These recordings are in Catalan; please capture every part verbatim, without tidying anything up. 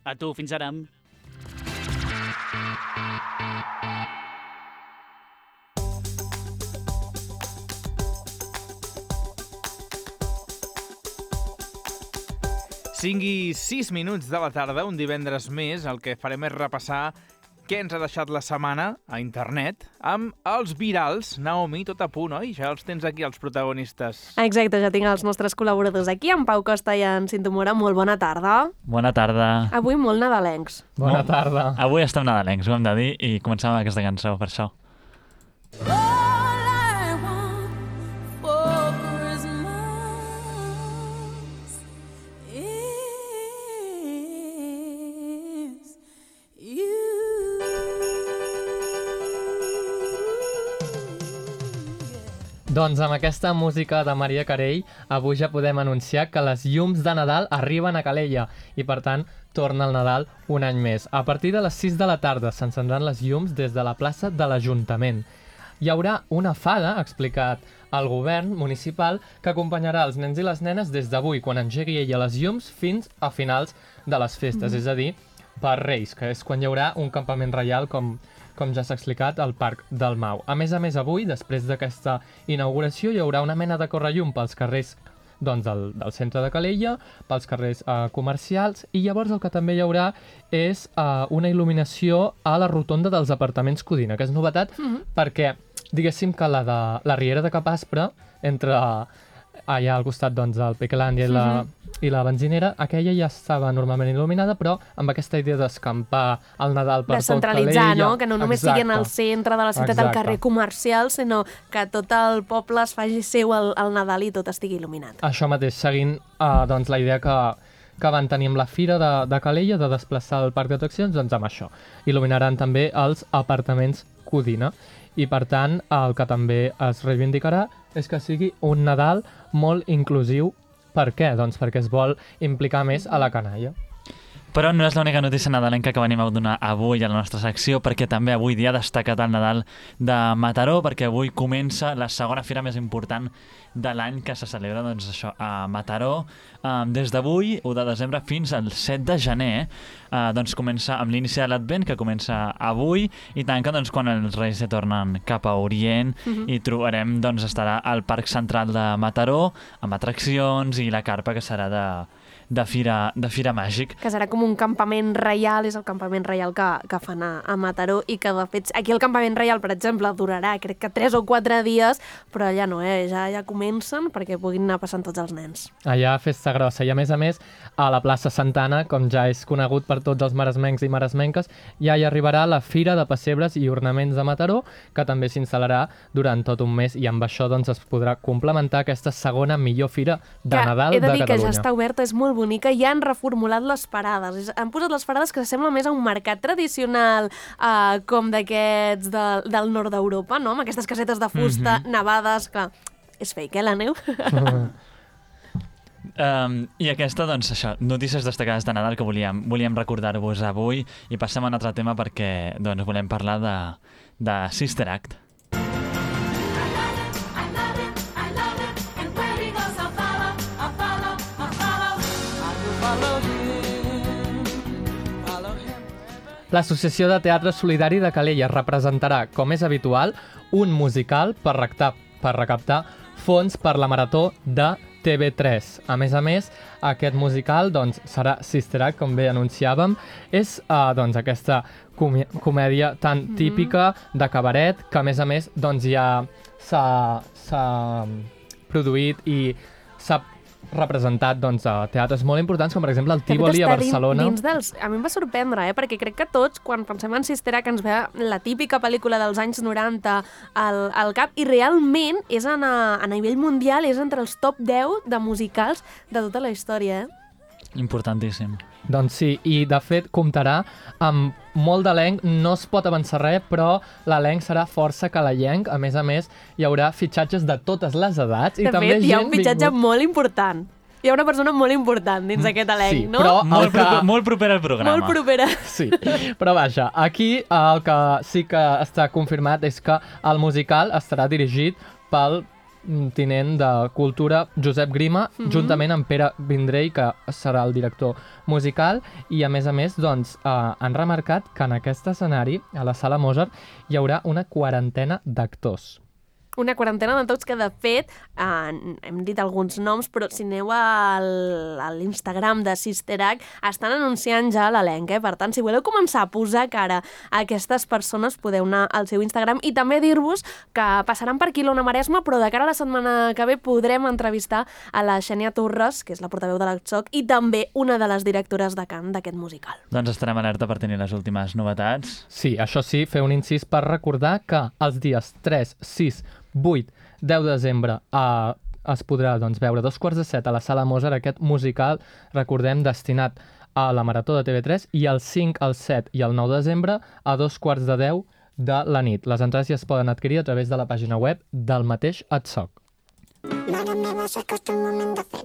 A tu, fins ara. cinc i sis minuts de la tarda, un divendres més, el que farem és repassar què ens ha deixat la setmana a internet amb els virals. Naomi, tot a punt, oi? Ja els tens aquí, els protagonistes. Exacte, ja tinc els nostres col·laboradors aquí, en Pau Costa i en Cinto Mora. Molt bona tarda. Bona tarda. Avui molt nadalencs. Bona tarda. Avui estem nadalencs, ho hem de dir, i comencem amb aquesta cançó, per això. Doncs amb aquesta música de Maria Carey, avui ja podem anunciar que les llums de Nadal arriben a Calella i, per tant, torna el Nadal un any més. A partir de les sis de la tarda s'encendran les llums des de la plaça de l'Ajuntament. Hi haurà una fada, ha explicat el govern municipal, que acompanyarà els nens i les nenes des d'avui, quan engegui ella les llums, fins a finals de les festes, mm-hmm. és a dir, per Reis, que és quan hi haurà un campament reial, com, com ja s'ha explicat, al Parc del Mau. A més a més, avui, després d'aquesta inauguració, hi haurà una mena de correllum pels carrers doncs, del, del centre de Calella, pels carrers eh, comercials, i llavors el que també hi haurà és eh, una il·luminació a la rotonda dels apartaments Codina, que és novetat, mm-hmm. perquè, diguéssim que la de la Riera de Capaspre, entre allà al costat doncs, del Pequelàndia i la... Mm-hmm. i la benzinera, aquella ja estava normalment il·luminada, però amb aquesta idea d'escampar el Nadal per tot Calella. Descentralitzar, no? Que no només Exacte. siguin al centre de la ciutat, Exacte. al carrer comercial, sinó que tot el poble es faci seu el, el Nadal i tot estigui il·luminat. Això mateix, seguint uh, doncs, la idea que, que van tenir amb la fira de, de Calella, de desplaçar el parc d'atraccions, doncs amb això. Il·luminaran també els apartaments Codina. I, per tant, el que també es reivindicarà és que sigui un Nadal molt inclusiu. Per què? Doncs perquè es vol implicar més a la canalla. Però no és l'única notícia nadalenca que venim a donar avui a la nostra secció, perquè també avui dia ha destacat el Nadal de Mataró, perquè avui comença la segona fira més important de l'any que se celebra doncs, això, a Mataró. Um, des d'avui, u de desembre, fins al set de gener, uh, doncs comença amb l'inici de l'Advent, que comença avui, i tanca doncs, quan els Reis se tornen cap a Orient, uh-huh. i trobarem, doncs, estarà al Parc Central de Mataró, amb atraccions i la carpa, que serà de... De fira, de fira màgic. Que serà com un campament reial, és el campament reial que, que fan a, a Mataró, i que de fet aquí el campament reial, per exemple, durarà crec que tres o quatre dies, però allà no, eh? ja, ja comencen perquè puguin anar passant tots els nens. Allà festa grossa, i a més a més a la plaça Santana, com ja és conegut per tots els maresmencs i maresmenques, ja hi arribarà la Fira de Pessebres i Ornaments de Mataró, que també s'instal·larà durant tot un mes, i amb això doncs, es podrà complementar aquesta segona millor fira de que Nadal de Catalunya. He de dir que ja està oberta, és molt bonica, i han reformulat les parades. Han posat les parades que sembla més a un mercat tradicional, eh, com d'aquests de, del nord d'Europa, no? Amb aquestes casetes de fusta, mm-hmm. nevades, que és fake, eh, la neu? um, I aquesta, doncs, això, notícies destacades de Nadal que volíem, volíem recordar-vos avui, i passem a un altre tema perquè doncs, volem parlar de, de Sister Act. L'Associació de Teatre Solidari de Calella representarà, com és habitual, un musical per recaptar, per recaptar fons per la Marató de T V tres. A més a més, aquest musical doncs, serà Sister Act, com bé anunciàvem. És uh, doncs, aquesta comè comèdia tan mm-hmm. típica de cabaret, que a més a més doncs, ja s'ha produït i s'ha representat doncs, a teatres molt importants, com per exemple el Tívoli a Barcelona. Dins dels... A mi em va sorprendre, eh? Perquè crec que tots, quan pensem en Sister Act, ens ve la típica pel·lícula dels anys noranta al, al cap, i realment és a, a nivell mundial, és entre els top deu de musicals de tota la història, eh? Importantíssim. Doncs sí, i de fet comptarà amb molt d'elenc, no es pot avançar res, però l'elenc serà força calellenc. A més a més, hi haurà fitxatges de totes les edats. De i també fet, hi ha un fitxatge vingut... molt important. Hi ha una persona molt important dins aquest elenc, sí, no? Però molt, que... proper, molt propera al programa. Molt propera. Sí, però vaja, aquí el que sí que està confirmat és que el musical estarà dirigit pel tinent de Cultura Josep Grima, mm -hmm. juntament amb Pere Vendrell, que serà el director musical, i a més a més doncs, eh, han remarcat que en aquest escenari, a la Sala Mozart, hi haurà una quarantena d'actors. Una quarantena de tots que, de fet, eh, hem dit alguns noms, però si aneu al, a l'Instagram de Sister Act, estan anunciant ja l'elenc, eh? Per tant, si voleu començar a posar cara a aquestes persones, podeu anar al seu Instagram i també dir-vos que passaran per aquí l'Ona Maresma, però de cara a la setmana que ve podrem entrevistar a la Xènia Torres, que és la portaveu de l'A C I, i també una de les directores de cant d'aquest musical. Doncs estarem alerta per tenir les últimes novetats. Sí, això sí, fer un incís per recordar que els dies tres, sis, vuit, deu de desembre eh, es podrà doncs, veure a dos quarts de set a la Sala Mozart aquest musical, recordem, destinat a la Marató de T V tres, i el cinc, el set i el nou de desembre a dos quarts de deu de la nit. Les entrades ja es poden adquirir a través de la pàgina web del mateix A T S O C. Mare meva, s'acosta el moment de fer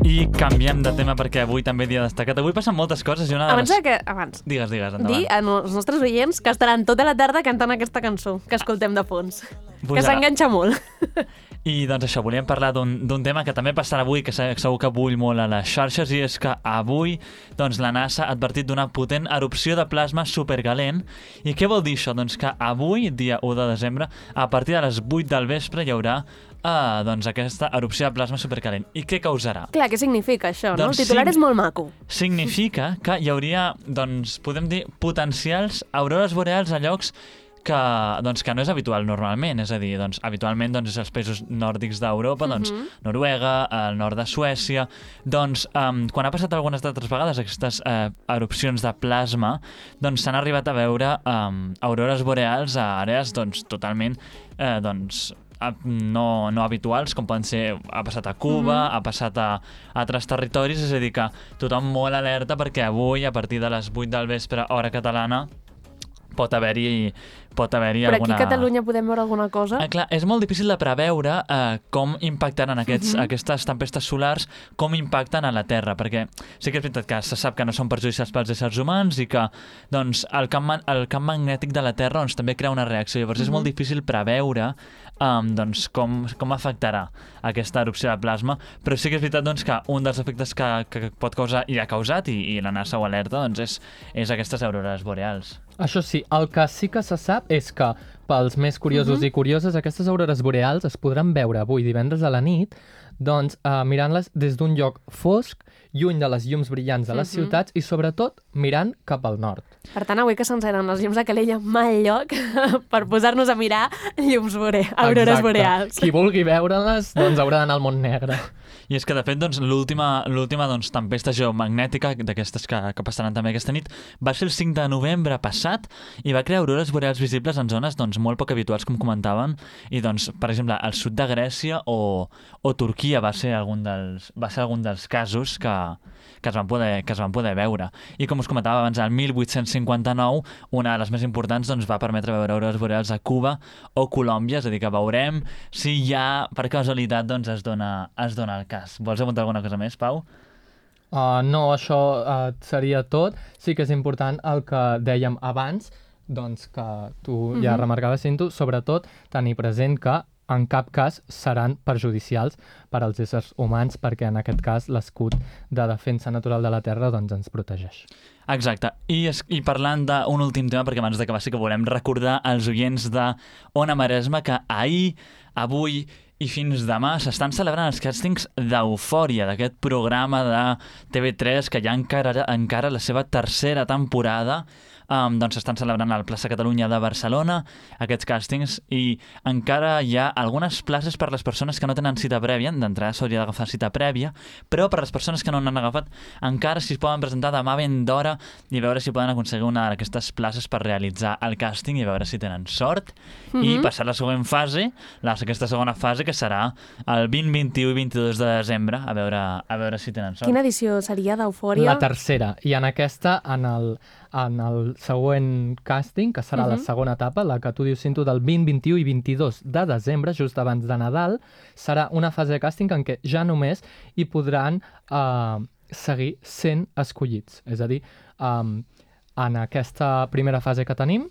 I canviem de tema perquè avui també dia destacat. Avui passen moltes coses i una de Abans les... de que... Abans. Digues, digues, endavant. Dir als nostres oients que estaran tota la tarda cantant aquesta cançó que escoltem de fons. Pujarà. Que s'enganxa molt. I doncs això, volíem parlar d'un tema que també passarà avui, que segur que bull molt a les xarxes, i és que avui doncs, la NASA ha advertit d'una potent erupció de plasma supercalent. I què vol dir això? Doncs que avui, dia u de desembre, a partir de les vuit del vespre hi haurà ah, doncs, aquesta erupció de plasma supercalent. I què causarà? Clar, què significa això, no? Doncs El titular sig- és molt maco. Significa que hi hauria, doncs, podem dir, potencials aurores boreals a llocs que, doncs, que no és habitual normalment, és a dir, doncs, habitualment doncs, és als països nòrdics d'Europa, doncs, Mhm. Noruega, el nord de Suècia, doncs, um, quan ha passat algunes altres vegades aquestes uh, erupcions de plasma, doncs s'han arribat a veure um, aurores boreals a àrees, doncs, totalment, uh, doncs, no, no habituals, com poden ser, ha passat a Cuba, Mhm. ha passat a altres territoris, és a dir, que tothom molt alerta perquè avui, a partir de les vuit del vespre, hora catalana, pot haver-hi pot haver-hi Però alguna... aquí a Catalunya podem veure alguna cosa? Ah, clar, és molt difícil de preveure eh, com impactaran aquests, Mhm. aquestes tempestes solars, com impacten a la Terra, perquè sí que és veritat que se sap que no són perjudicials pels éssers humans i que doncs, el, camp, ma- el camp magnètic de la Terra doncs, també crea una reacció. Llavors és Mhm. molt difícil preveure um, doncs, com, com afectarà aquesta erupció de plasma, però sí que és veritat doncs, que un dels efectes que, que pot causar i ha causat, i, i la NASA ho alerta, doncs, és, és aquestes aurores boreals. Això sí, el que sí que se sap és que pels més curiosos Mhm. i curioses, aquestes aurores boreals es podran veure avui divendres a la nit, doncs eh, mirant-les des d'un lloc fosc, lluny de les llums brillants de les Mhm. ciutats i sobretot mirant cap al nord. Per tant, avui que s'encenen les llums de Calella, mal lloc per posar-nos a mirar llums bore... aurores Exacte. boreals. Qui vulgui veure-les, doncs haurà d'anar al món negre. I és que, de fet, doncs, l'última l'última doncs, tempesta geomagnètica d'aquestes que, que passaran també aquesta nit va ser el cinc de novembre passat i va crear aurores boreals visibles en zones doncs, molt poc habituals, com comentaven, i, doncs, per exemple, al sud de Grècia o, o Turquia va ser algun dels, va ser algun dels casos que, que, es van poder, que es van poder veure. I com us comentava abans, el mil vuit-cents cinquanta-nou, una de les més importants doncs, va permetre veure aurores boreals a Cuba o Colòmbia, és a dir, que veurem si ja, per casualitat, doncs, es dona, es dona el cas. Vols apuntar alguna cosa més, Pau? Uh, no, això uh, seria tot. Sí que és important el que dèiem abans, doncs que tu ja Mhm. remarcaves, Cinto, sobretot tenir present que en cap cas seran perjudicials per als éssers humans, perquè en aquest cas l'escut de defensa natural de la Terra doncs, ens protegeix. Exacte. I, es, i parlant d'un últim tema, perquè abans d'acabar sí que volem recordar als oients de Ona Maresma que ahir, avui i fins demà s'estan celebrant els càstings d'Eufòria, d'aquest programa de T V tres que ja encara, encara la seva tercera temporada. Um, doncs s'estan celebrant al Plaça Catalunya de Barcelona aquests càstings i encara hi ha algunes places per les persones que no tenen cita prèvia. D'entrada s'hauria d'agafar cita prèvia, però per les persones que no n'han agafat encara s'hi poden presentar demà ben d'hora i veure si poden aconseguir una d'aquestes places per realitzar el càsting i veure si tenen sort i Mhm. passar la següent fase, la, aquesta segona fase que serà el vint, vint-i-u i vint-i-dos de desembre, a veure, a veure si tenen sort. Quina edició seria d'Eufòria? La tercera, i en aquesta, en el, en el següent càsting, que serà uh -huh. la Mhm. segona etapa, la que tu dius, Cinto, del vint, vint-i-u i vint-i-dos de desembre, just abans de Nadal, serà una fase de càsting en què ja només hi podran eh, seguir sent escollits. És a dir, um, en aquesta primera fase que tenim,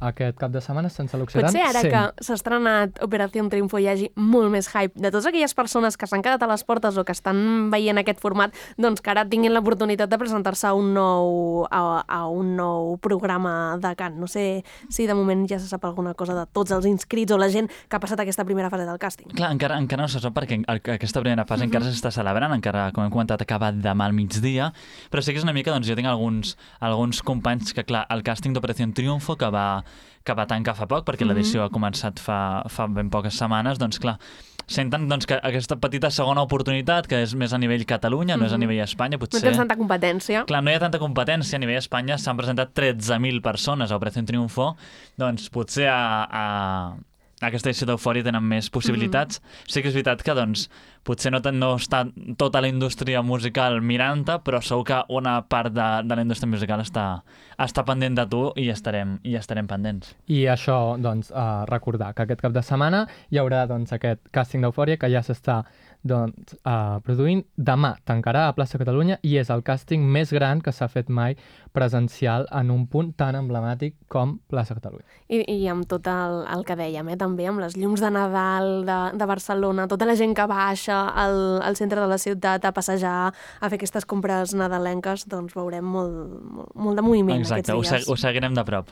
aquest cap de setmana se'n seleccionaran Potser ara cent. que s'ha estrenat Operació Triunfo hi hagi molt més hype de totes aquelles persones que s'han quedat a les portes o que estan veient aquest format, doncs que ara tinguin l'oportunitat de presentar-se a un nou a, a un nou programa de cant. No sé si de moment ja se sap alguna cosa de tots els inscrits o la gent que ha passat aquesta primera fase del càsting. Clar, encara, encara no se sap perquè el- aquesta primera fase uh -huh. encara s'està celebrant, encara, com hem comentat, ha acabat demà al migdia, però sí que és una mica, doncs jo tinc alguns, alguns companys que, clar, el càsting d'Operació Triunfo, que va, que va tancar fa poc, perquè l'edició ha començat fa, fa ben poques setmanes, doncs clar, senten doncs, que aquesta petita segona oportunitat, que és més a nivell Catalunya, no és a nivell Espanya, No potser... tens tanta competència. Clar, no hi ha tanta competència. A nivell Espanya s'han presentat tretze mil persones a Operació Triunfo, doncs potser a, a, a aquesta edició d'Eufòria tenen més possibilitats. Mm-hmm. Sí que és veritat que doncs, potser no, ten, no està tota la indústria musical mirant-te, però segur que una part de, de la indústria musical està, està pendent de tu i estarem, i estarem pendents. I això, doncs, uh, recordar que aquest cap de setmana hi haurà doncs, aquest càsting d'Eufòria que ja s'està doncs, uh, produint. Demà tancarà a Plaça Catalunya i és el càsting més gran que s'ha fet mai presencial en un punt tan emblemàtic com Plaça Catalunya. I, i amb tot el, el que dèiem, eh, també amb les llums de Nadal de, de Barcelona, tota la gent que baixa al, al centre de la ciutat a passejar, a fer aquestes compres nadalenques, doncs veurem molt, molt, molt de moviment Exacte, ho, aquests se dies. ho seguirem de prop.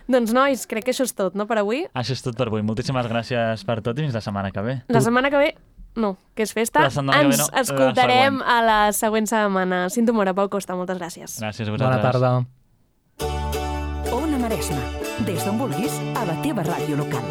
Doncs nois, crec que això és tot, no, per avui? Això és tot per avui. Moltíssimes gràcies per tot i fins la setmana que ve. La setmana que ve, no, que és festa, La setmana que ve ens no, la escoltarem següent. a la següent setmana. Cinto Mora, Pau Costa, moltes gràcies. Gràcies a Bona vosaltres. tarda. Ona Maresma. Des d'on vulguis, a la teva ràdio local.